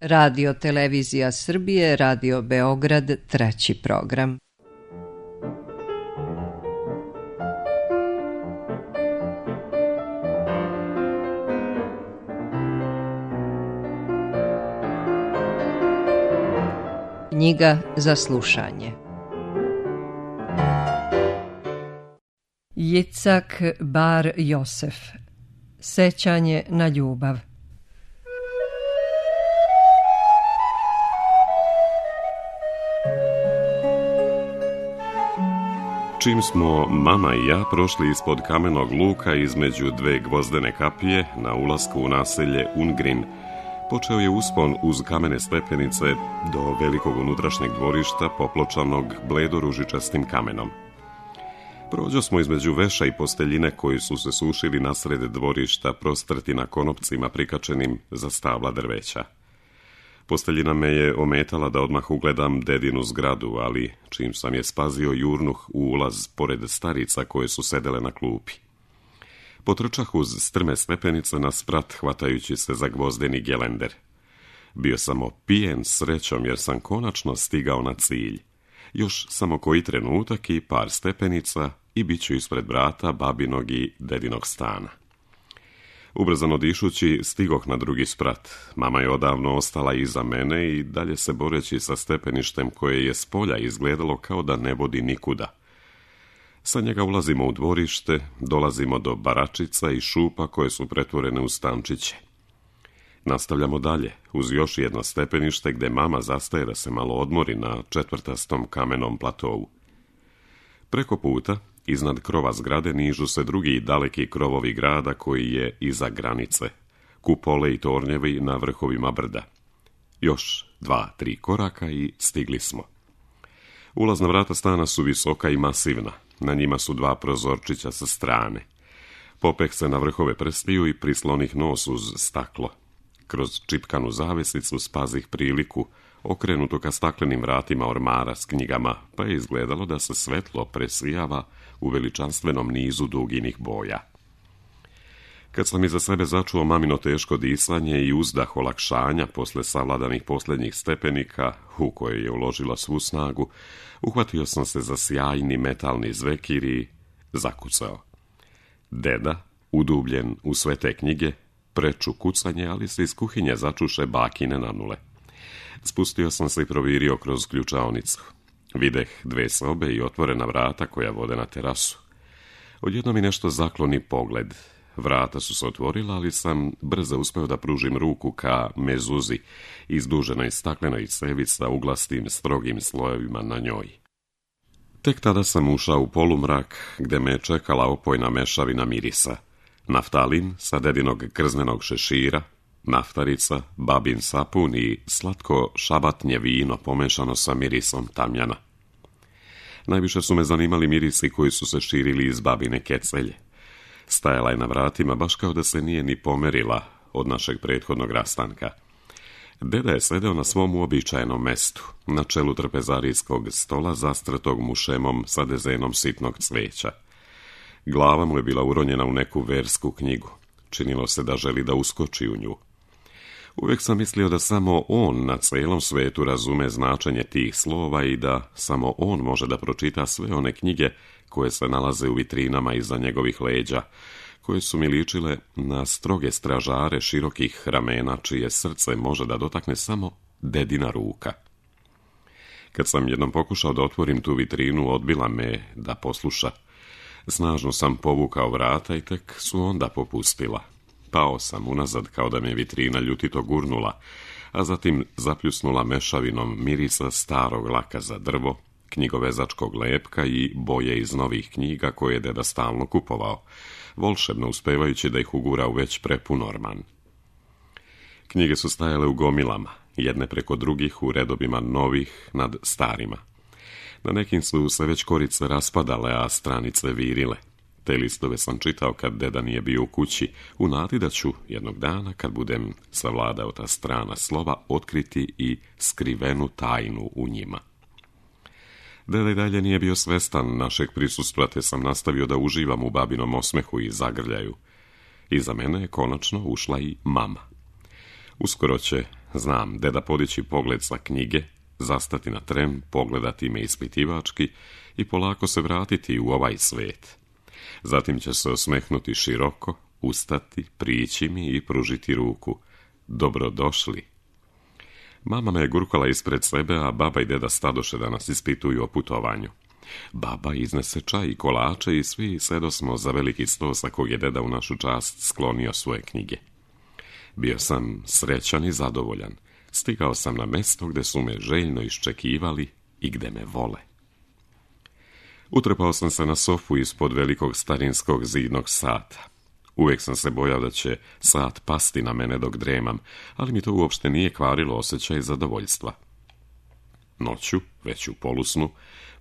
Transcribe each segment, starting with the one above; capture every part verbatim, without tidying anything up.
Radio Televizija Srbije, Radio Beograd, treći program. Knjiga za slušanje. Jicak Bar Josef. Sećanje na ljubav. Čim smo mama i ja prošli ispod kamenog luka između dve gvozdene kapije na ulasku u naselje Ungrin, počeo je uspon uz kamene stepenice do velikog unutrašnjeg dvorišta popločanog bledoružičastim kamenom. Prođo smo između veša i posteljine koji su se sušili nasred dvorišta, prostrti na konopcima prikačenim za stabla drveća. Posteljina me je ometala da odmah ugledam dedinu zgradu, ali čim sam je spazio jurnuh u ulaz pored starica koje su sedele na klupi. Potrčah uz strme stepenice na sprat, hvatajući se za gvozdeni gelender. Bio sam opijen srećom jer sam konačno stigao na cilj. Još samo koji trenutak i par stepenica i bit ću ispred vrata babinog i dedinog stana. Ubrzano dišući stigoh na drugi sprat. Mama je odavno ostala iza mene i dalje se boreći sa stepeništem koje je s polja izgledalo kao da ne vodi nikuda. Sa njega ulazimo u dvorište, dolazimo do baračica i šupa koje su pretvorene u stančiće. Nastavljamo dalje, uz još jedno stepenište gde mama zastaje da se malo odmori na četvrtastom kamenom platovu. Preko puta, iznad krova zgrade, nižu se drugi daleki krovovi grada koji je iza granice, kupole i tornjevi na vrhovima brda. Još dva, tri koraka i stigli smo. Ulazna vrata stana su visoka i masivna, na njima su dva prozorčića sa strane. Popeh se na vrhove prstiju i prislonih nos uz staklo. Kroz čipkanu zavesicu spazih priliku, okrenuto ka staklenim vratima ormara s knjigama, pa je izgledalo da se svetlo presijava u veličanstvenom nizu duginih boja. Kad sam iza sebe začuo mamino teško disanje i uzdah olakšanja posle savladanih posljednjih stepenika, u koje je uložila svu snagu, uhvatio sam se za sjajni metalni zvekir i zakucao. Deda, udubljen u sve te knjige, preču kucanje, ali se iz kuhinje začuše bakine nanule. Spustio sam se i provirio kroz ključaonicu. Videh dve sobe i otvorena vrata koja vode na terasu. Odjedno mi nešto zakloni pogled. Vrata su se otvorila, ali sam brzo uspeo da pružim ruku ka mezuzi, izduženoj staklenoj cevi sa uglastim, strogim slojevima na njoj. Tek tada sam ušao u polumrak, gde me je čekala opojna mešavina mirisa. Naftalin sa dedinog krznenog šešira, naftarica, babin sapun i slatko šabatnje vino pomešano sa mirisom tamjana. Najviše su me zanimali mirisi koji su se širili iz babine kecelje. Stajala je na vratima baš kao da se nije ni pomerila od našeg prethodnog rastanka. Deda je sedeo na svom uobičajenom mestu, na čelu trpezarijskog stola zastrtog mušemom sa dezenom sitnog cveća. Glava mu je bila uronjena u neku versku knjigu. Činilo se da želi da uskoči u nju. Uvijek sam mislio da samo on na celom svetu razume značenje tih slova i da samo on može da pročita sve one knjige koje se nalaze u vitrinama iza njegovih leđa, koje su mi ličile na stroge stražare širokih ramena, čije srce može da dotakne samo dedina ruka. Kad sam jednom pokušao da otvorim tu vitrinu, odbila me da posluša. Snažno sam povukao vrata i tek su onda popustila. Pao sam unazad kao da me vitrina ljutito gurnula, a zatim zapljusnula mešavinom mirisa starog laka za drvo, knjigovezačkog lepka i boje iz novih knjiga koje je deda stalno kupovao, volšebno uspevajući da ih ugura u već prepun orman. Knjige su stajale u gomilama, jedne preko drugih u redovima novih nad starima. Na nekim su se već korice raspadale, a stranice virile. Te listove sam čitao kad deda nije bio u kući, u nadi da ću jednog dana, kad budem savladao ta strana slova, otkriti i skrivenu tajnu u njima. Deda i dalje nije bio svestan našeg prisustva, te sam nastavio da uživam u babinom osmehu i zagrljaju. Iza mene je konačno ušla i mama. Uskoro će Znam, deda podići pogled sa knjige, zastati na tren, pogledati me ispitivački i polako se vratiti u ovaj svijet. Zatim će se osmehnuti široko, ustati, prići mi i pružiti ruku. Dobrodošli. Mama me je gurkala ispred sebe, a baba i deda stadoše da nas ispituju o putovanju. Baba iznese čaj i kolače i svi sedosmo za veliki sto sa kog je deda u našu čast sklonio svoje knjige. Bio sam srećan i zadovoljan. Stigao sam na mesto gde su me željno iščekivali i gde me vole. Utrpao sam se na sofu ispod velikog starinskog zidnog sata. Uvijek sam se bojao da će sat pasti na mene dok dremam, ali mi to uopšte nije kvarilo osjećaj zadovoljstva. Noću, već u polusnu,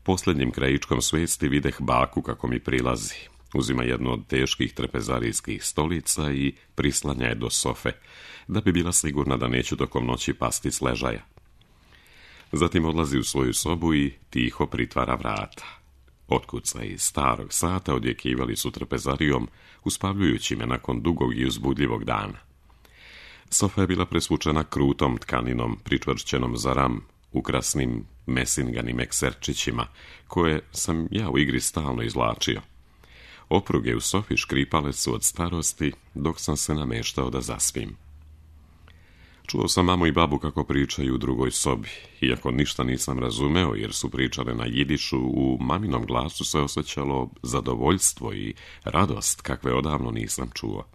posljednjim krajičkom svijesti videh baku kako mi prilazi. Uzima jednu od teških trepezarijskih stolica i prislanja je do sofe, da bi bila sigurna da neću tokom noći pasti s ležaja. Zatim odlazi u svoju sobu i tiho pritvara vrata. Otkuca iz starog sata odjekivali su trpezarijom, uspavljujući me nakon dugog i uzbudljivog dana. Sofa je bila presvučena krutom tkaninom, pričvršćenom za ram, ukrasnim mesinganim ekserčićima, koje sam ja u igri stalno izvlačio. Opruge u sofi škripale su od starosti, dok sam se nameštao da zaspim. Čuo sam mamu i babu kako pričaju u drugoj sobi, iako ništa nisam razumeo jer su pričale na jidišu, u maminom glasu se osjećalo zadovoljstvo i radost kakve odavno nisam čuo.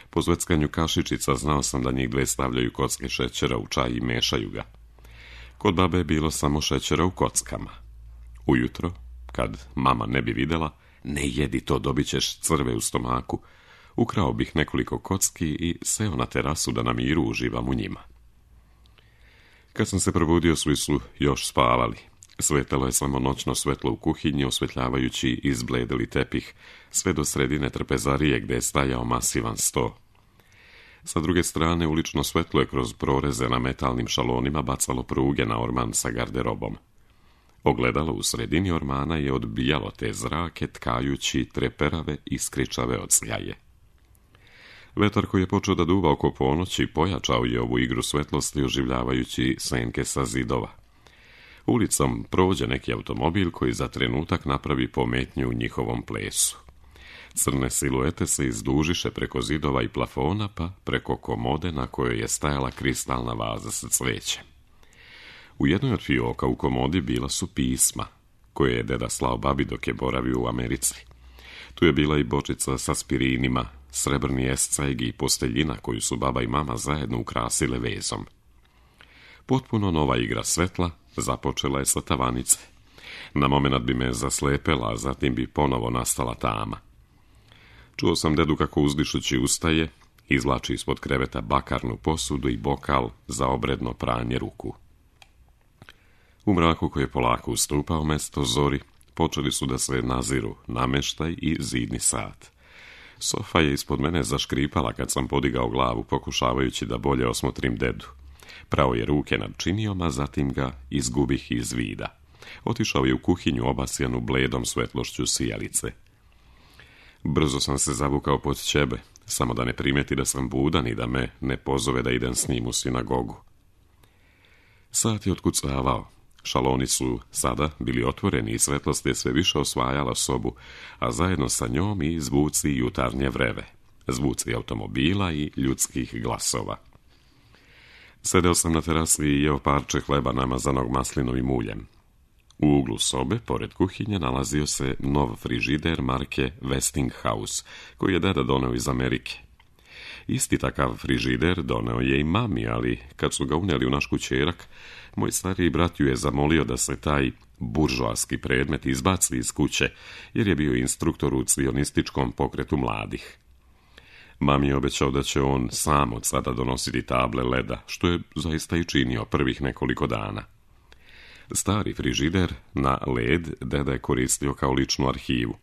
Po zveckanju kašičica znao sam da njih dve stavljaju kocke šećera u čaj i mešaju ga. Kod babe je bilo samo šećera u kockama. Ujutro, kad mama ne bi videla, ne jedi to, dobit ćeš crve u stomaku, ukrao bih nekoliko kocki i seo na terasu da na miru uživam u njima. Kad sam se probudio, svi su još spavali. Svetalo je samo noćno svetlo u kuhinji, osvetljavajući izbledeli tepih, sve do sredine trpezarije gde je stajao masivan sto. Sa druge strane, ulično svetlo je kroz proreze na metalnim šalonima bacalo pruge na orman sa garderobom. Ogledalo u sredini ormana je odbijalo te zrake, tkajući treperave i skričave od sljaje. Vetar koji je počeo da duva oko ponoći pojačao je ovu igru svetlosti, oživljavajući senke sa zidova. Ulicom prođe neki automobil koji za trenutak napravi pometnju u njihovom plesu. Crne siluete se izdužiše preko zidova i plafona, pa preko komode na kojoj je stajala kristalna vaza sa cvećem. U jednoj od fioka u komodi bila su pisma, koje je deda slao babi dok je boravio u Americi. Tu je bila i bočica sa aspirinima, srebrni escajg i posteljina koju su baba i mama zajedno ukrasile vezom. Potpuno nova igra svetla započela je sa tavanice. Na momenat bi me zaslepela, a zatim bi ponovo nastala tama. Čuo sam dedu kako uzdišući ustaje, izvlači ispod kreveta bakarnu posudu i bokal za obredno pranje ruku. U mraku koji je polako ustupao mesto zori, počeli su da se naziru nameštaj i zidni sat. Sofa je ispod mene zaškripala kad sam podigao glavu, pokušavajući da bolje osmotrim dedu. Prao je ruke nad činijom, a zatim ga izgubih iz vida. Otišao je u kuhinju obasjanu bledom svetlošću sijalice. Brzo sam se zavukao pod ćebe, samo da ne primeti da sam budan i da me ne pozove da idem s njim u sinagogu. Sat je otkucavao. Šaloni su sada bili otvoreni i svetlost je sve više osvajala sobu, a zajedno sa njom i zvuci jutarnje vreve, zvuci automobila i ljudskih glasova. Sedeo sam na terasi i jeo parče hleba namazanog maslinovim uljem. U uglu sobe, pored kuhinje, nalazio se nov frižider marke Westinghouse, koji je deda doneo iz Amerike. Isti takav frižider doneo je i mami, ali kad su ga unijeli u naš kućerak, moj stariji brat ju je zamolio da se taj buržoaski predmet izbaci iz kuće, jer je bio instruktor u cionističkom pokretu mladih. Mami je obećao da će on sam od sada donositi table leda, što je zaista i činio prvih nekoliko dana. Stari frižider na led deda je koristio kao ličnu arhivu.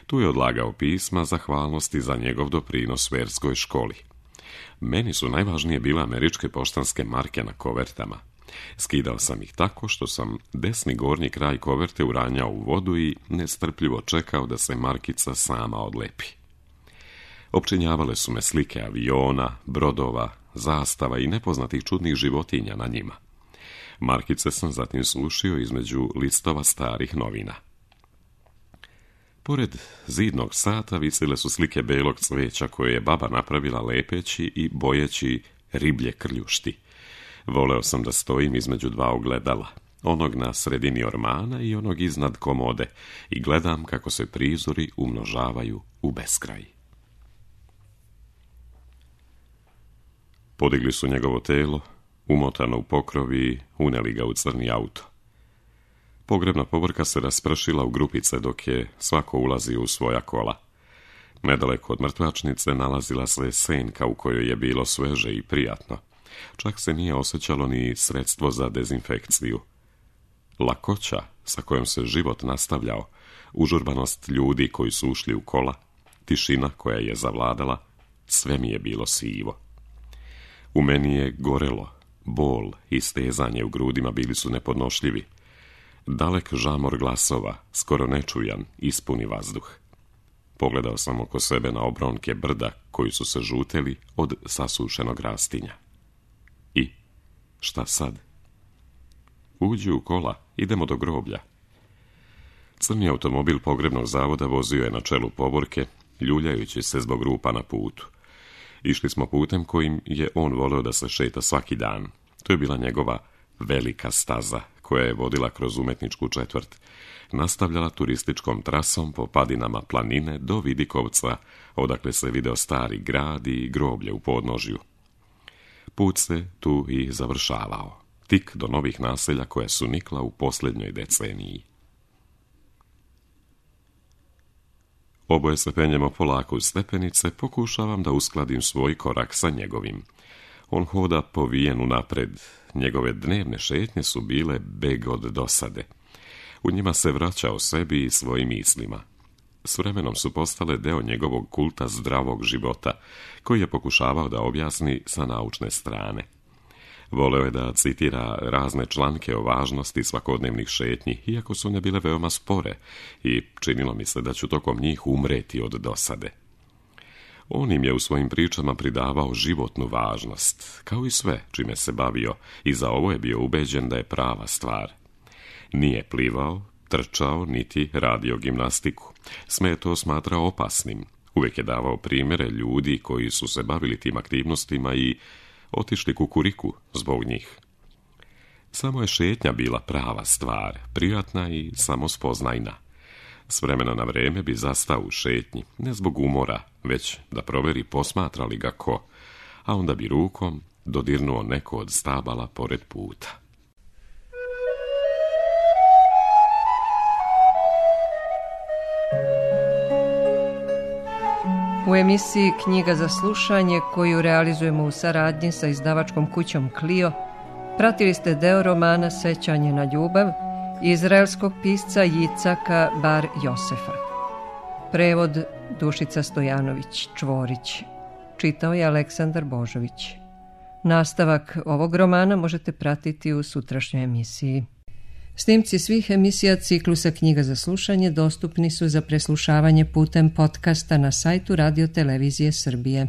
Tu je odlagao pisma zahvalnosti za njegov doprinos verskoj školi. Meni su najvažnije bile američke poštanske marke na kovertama. Skidao sam ih tako što sam desni gornji kraj koverte uranjao u vodu i nestrpljivo čekao da se markica sama odlepi. Opčinjavale su me slike aviona, brodova, zastava i nepoznatih čudnih životinja na njima. Markice sam zatim slušio između listova starih novina. Pored zidnog sata visile su slike belog cveća koje je baba napravila lepeći i bojeći riblje krljušti. Voleo sam da stojim između dva ogledala, onog na sredini ormana i onog iznad komode, i gledam kako se prizori umnožavaju u beskraj. Podigli su njegovo telo, umotano u pokrov i uneli ga u crni auto. Pogrebna povorka se raspršila u grupice dok je svako ulazio u svoja kola. Nedaleko od mrtvačnice nalazila se senka u kojoj je bilo sveže i prijatno. Čak se nije osjećalo ni sredstvo za dezinfekciju. Lakoća sa kojom se život nastavljao, užurbanost ljudi koji su ušli u kola, tišina koja je zavladala, sve mi je bilo sivo. U meni je gorelo, bol i stezanje u grudima bili su nepodnošljivi. Dalek žamor glasova, skoro nečujan, ispuni vazduh. Pogledao sam oko sebe na obronke brda koji su se žuteli od sasušenog rastinja. I šta sad? Uđi u kola, idemo do groblja. Crni automobil pogrebnog zavoda vozio je na čelu povorke, ljuljajući se zbog rupa na putu. Išli smo putem kojim je on voleo da se šeta svaki dan. To je bila njegova velika staza koja je vodila kroz umetničku četvrt. Nastavljala turističkom trasom po padinama planine do Vidikovca, odakle se video stari grad i groblje u podnožju. Put se tu i završavao, tik do novih naselja koja su nikla u posljednjoj deceniji. Oboje se penjemo polako uz stepenice, pokušavam da uskladim svoj korak sa njegovim. On hoda povijen unapred, njegove dnevne šetnje su bile beg od dosade. U njima se vraćao sebi i svojim mislima. S vremenom su postale deo njegovog kulta zdravog života, koji je pokušavao da objasni sa naučne strane. Voleo je da citira razne članke o važnosti svakodnevnih šetnji, iako su one bile veoma spore, i činilo mi se da ću tokom njih umreti od dosade. On im je u svojim pričama pridavao životnu važnost, kao i sve čime se bavio, i za ovo je bio ubeđen da je prava stvar. Nije plivao, trčao, niti radio gimnastiku. Sve je to smatrao opasnim. Uvijek je davao primjere ljudi koji su se bavili tim aktivnostima i otišli kukuriku zbog njih. Samo je šetnja bila prava stvar, prijatna i samospoznajna. S vremena na vreme bi zastao u šetnji, ne zbog umora, već da proveri posmatra li ga ko, a onda bi rukom dodirnuo neko od stabala pored puta. U emisiji Knjiga za slušanje, koju realizujemo u saradnji sa izdavačkom kućom Clio, pratili ste deo romana Sećanje na ljubav izraelskog pisca Jicaka Bar Josefa. Prevod Dušica Stojanović Čvorić. Čitao je Aleksandar Božović. Nastavak ovog romana možete pratiti u sutrašnjoj emisiji. Snimci svih emisija ciklusa Knjiga za slušanje dostupni su za preslušavanje putem podcasta na sajtu Radio Televizije Srbije.